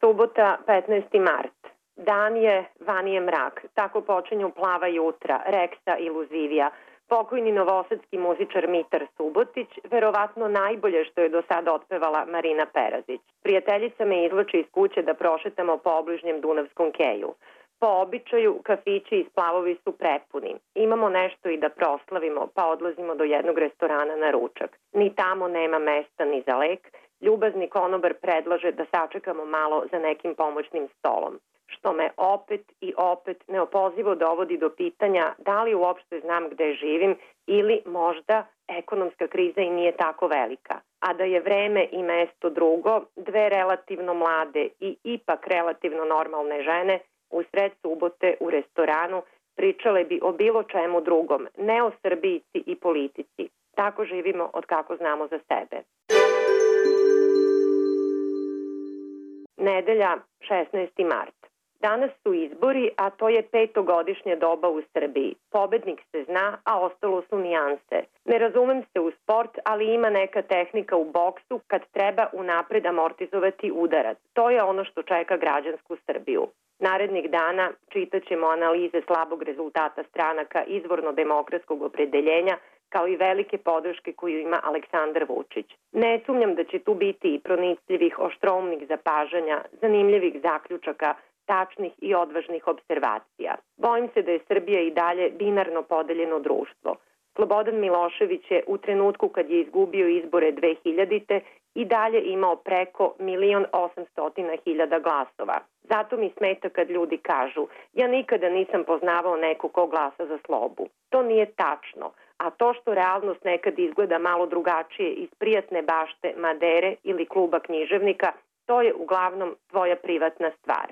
Subota, 15. mart. Dan je, van je mrak. Tako počinju Plava jutra, Reksa i Luzivija. Pokojni novosadski muzičar Mitar Subotić, verovatno najbolje što je do sada otpevala Marina Perazić. Prijateljica me izvlači iz kuće da prošetamo po obližnjem Dunavskom keju. Po običaju, kafići i splavovi su prepuni. Imamo nešto i da proslavimo, pa odlazimo do jednog restorana na ručak. Ni tamo nema mesta ni za lek. Ljubazni konobar predlaže da sačekamo malo za nekim pomoćnim stolom, što me opet i opet neopozivo dovodi do pitanja da li uopšte znam gde živim ili možda ekonomska kriza i nije tako velika. A da je vreme i mesto drugo, dve relativno mlade i ipak relativno normalne žene u sred subote u restoranu pričale bi o bilo čemu drugom, ne o Srbijici i politici. Tako živimo od kako znamo za sebe. Nedelja, 16. mart. Danas su izbori, a to je petogodišnja doba u Srbiji. Pobednik se zna, a ostalo su nijanse. Ne razumem se u sport, ali ima neka tehnika u boksu kad treba unapred amortizovati udarac. To je ono što čeka građansku Srbiju. Narednih dana čitat ćemo analize slabog rezultata stranaka izvorno-demokratskog opredeljenja, kao i velike podrške koju ima Aleksandar Vučić. Ne sumnjam da će tu biti i pronicljivih, oštroumnih zapažanja, zanimljivih zaključaka, tačnih i odvažnih observacija. Bojim se da je Srbija i dalje binarno podeljeno društvo. Slobodan Milošević je u trenutku kad je izgubio izbore 2000. i dalje imao preko 1.800.000 glasova. Zato mi smeta kad ljudi kažu ja nikada nisam poznavao neko ko glasa za slobu. To nije tačno, a to što realnost nekad izgleda malo drugačije iz prijatne bašte Madere ili kluba književnika, to je uglavnom tvoja privatna stvar.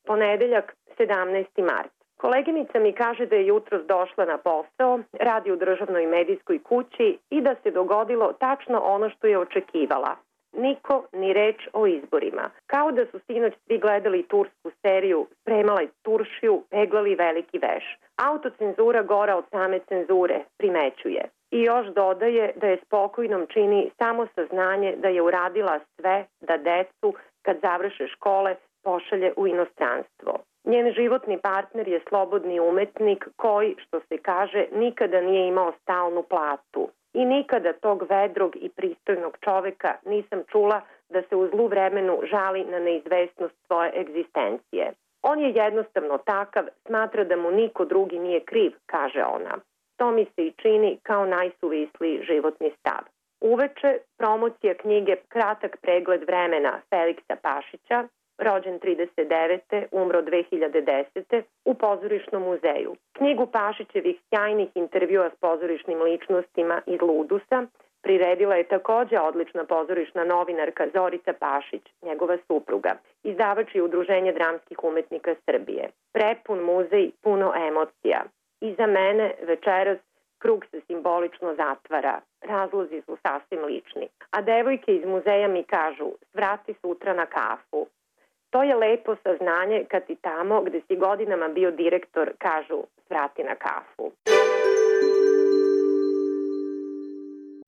Ponedeljak, 17. mart. Koleginica mi kaže da je jutros došla na posao, radi u državnoj medijskoj kući i da se dogodilo tačno ono što je očekivala. Niko ni reč o izborima. Kao da su sinoć svi gledali tursku seriju, spremali turšiju, peglali veliki veš. Autocenzura gora od same cenzure, primećuje. I još dodaje da je spokojnom čini samo saznanje da je uradila sve da decu, kad završe škole, pošalje u inostranstvo. Njen životni partner je slobodni umetnik koji, što se kaže, nikada nije imao stalnu platu. I nikada tog vedrog i pristojnog čoveka nisam čula da se u zlu vremenu žali na neizvesnost svoje egzistencije. On je jednostavno takav, smatra da mu niko drugi nije kriv, kaže ona. To mi se i čini kao najsuvisliji životni stav. Uveče promocija knjige Kratak pregled vremena Feliksa Pašića, rođen 39. umro 2010. u Pozorišnom muzeju. Knjigu Pašićevih sjajnih intervjua s pozorišnim ličnostima iz Ludusa priredila je takođe odlična pozorišna novinarka Zorica Pašić, njegova supruga, izdavač i Udruženje dramskih umetnika Srbije. Prepun muzej, puno emocija. I za mene večeras krug se simbolično zatvara. Razlozi su sasvim lični. A devojke iz muzeja mi kažu, svrati sutra na kafu. To je lepo saznanje kad ti tamo gde si godinama bio direktor kažu svrati na kafu.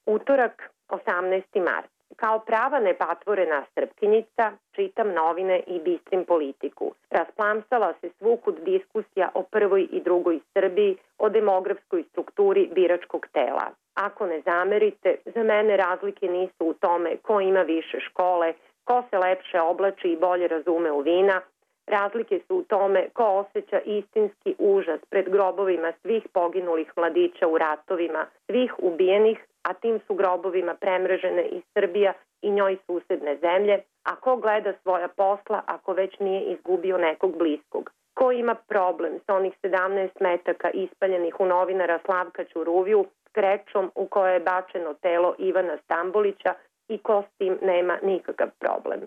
Utorak, 18. mart. Kao prava nepatvorena Srpkinjica čitam novine i bistrim politiku. Rasplamsala se svukud diskusija o prvoj i drugoj Srbiji, o demografskoj strukturi biračkog tela. Ako ne zamerite, za mene razlike nisu u tome ko ima više škole, ko se lepše oblači i bolje razume u vina. Razlike su u tome ko osjeća istinski užas pred grobovima svih poginulih mladića u ratovima, svih ubijenih, a tim su grobovima premrežene i Srbija i njoj susedne zemlje, a ko gleda svoja posla ako već nije izgubio nekog bliskog. Ko ima problem sa onih 17 metaka ispaljenih u novinara Slavka Ćuruviju s krečom u kojoj je bačeno telo Ivana Stambolića i ko s tim nema nikakav problem.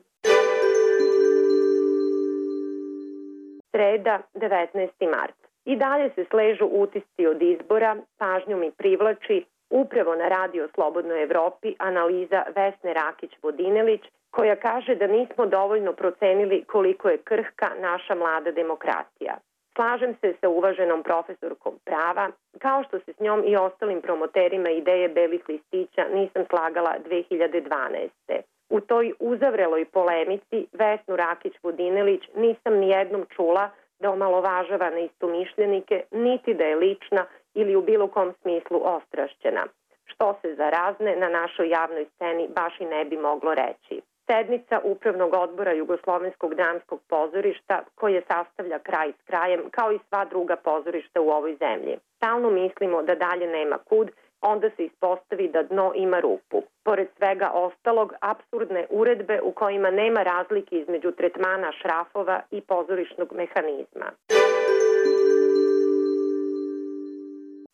Sreda, 19. mart. I dalje se sležu utisci od izbora, pažnju mi privlači upravo na Radio Slobodnoj Evropi analiza Vesne Rakić-Vodinelić, koja kaže da nismo dovoljno procenili koliko je krhka naša mlada demokratija. Slažem se sa uvaženom profesorkom prava, kao što se s njom i ostalim promoterima ideje belih listića nisam slagala 2012. U toj uzavreloj polemici Vesnu Rakić-Vodinelić nisam nijednom čula da omalovažava neistomišljenike, niti da je lična ili u bilo kom smislu ostrašćena, što se za razne na našoj javnoj sceni baš i ne bi moglo reći. Sednica Upravnog odbora Jugoslovenskog dramskog pozorišta, koje sastavlja kraj s krajem, kao i sva druga pozorišta u ovoj zemlji. Stalno mislimo da dalje nema kud, onda se ispostavi da dno ima rupu. Pored svega ostalog, apsurdne uredbe u kojima nema razlike između tretmana šrafova i pozorišnog mehanizma.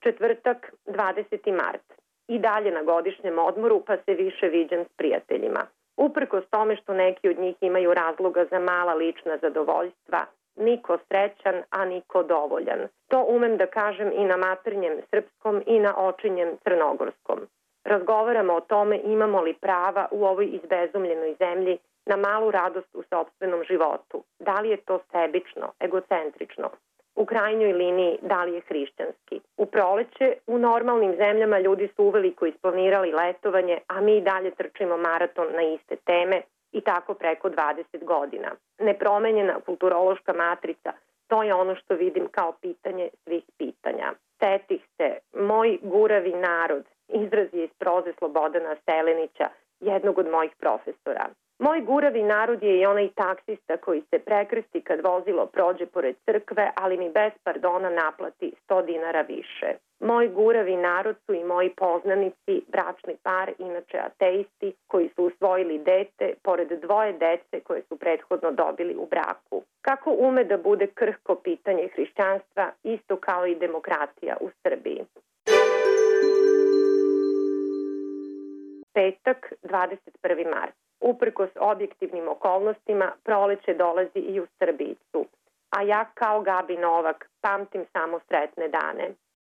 Četvrtak, 20. mart. I dalje na godišnjem odmoru, pa se više viđam s prijateljima. Uprkos tome što neki od njih imaju razloga za mala lična zadovoljstva, niko srećan, a niko dovoljan. To umem da kažem i na maternjem srpskom i na očinjem crnogorskom. Razgovaramo o tome imamo li prava u ovoj izbezumljenoj zemlji na malu radost u sopstvenom životu. Da li je to sebično, egocentrično? U krajnjoj liniji, da li je hrišćanski? U proleće, u normalnim zemljama ljudi su uveliko isplanirali letovanje, a mi dalje trčimo maraton na iste teme i tako preko 20 godina. Nepromenjena kulturološka matrica, to je ono što vidim kao pitanje svih pitanja. Setih se, moj guravi narod, izraz je iz proze Slobodana Selenića, jednog od mojih profesora. Moj guravi narod je i onaj taksista koji se prekrsti kad vozilo prođe pored crkve, ali mi bez pardona naplati 100 dinara više. Moj guravi narod su i moji poznanici, bračni par, inače ateisti, koji su usvojili dete, pored dvoje dece koje su prethodno dobili u braku. Kako ume da bude krhko pitanje hrišćanstva, isto kao i demokratija u Srbiji. Petak, 21. mart. Uprkos objektivnim okolnostima, proleće dolazi i u Srbijicu. A ja kao Gabi Novak pamtim samo sretne dane.